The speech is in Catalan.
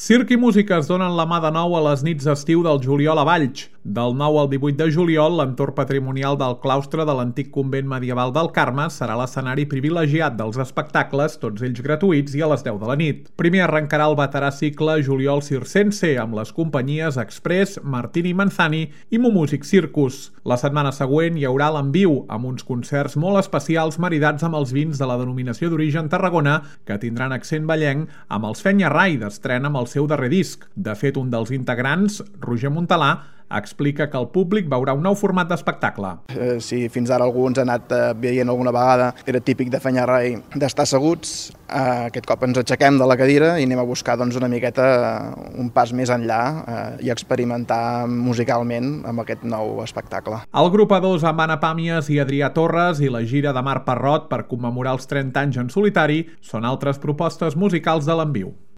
Circ i música es donen la mà de nou a les nits d'estiu del juliol a Valls. Del 9 al 18 de juliol, l'entorn patrimonial del claustre de l'antic convent medieval del Carme serà l'escenari privilegiat dels espectacles, tots ells gratuïts i a les 10 de la nit. Primer arrencarà el veterà cicle Juliol Circense amb les companyies Express, Martini Manzani i Mumúsic Circus. La setmana següent hi haurà l'Enviu, amb uns concerts molt especials maridats amb els vins de la denominació d'origen Tarragona, que tindran accent vallenc amb els Fenya Rai d'estrena amb el seu darrer disc. De fet, un dels integrants, Roger Montalà, explica que el públic veurà un nou format d'espectacle. Si fins ara algú ens ha anat veient alguna vegada, era típic de Fenya Rai d'estar asseguts, aquest cop ens aixequem de la cadira i anem a buscar una miqueta un pas més enllà i experimentar musicalment amb aquest nou espectacle. El grup A2 amb Anna Pàmies i Adrià Torres i la gira de Marc Parrot per commemorar els 30 anys en solitari són altres propostes musicals de l'Enviu.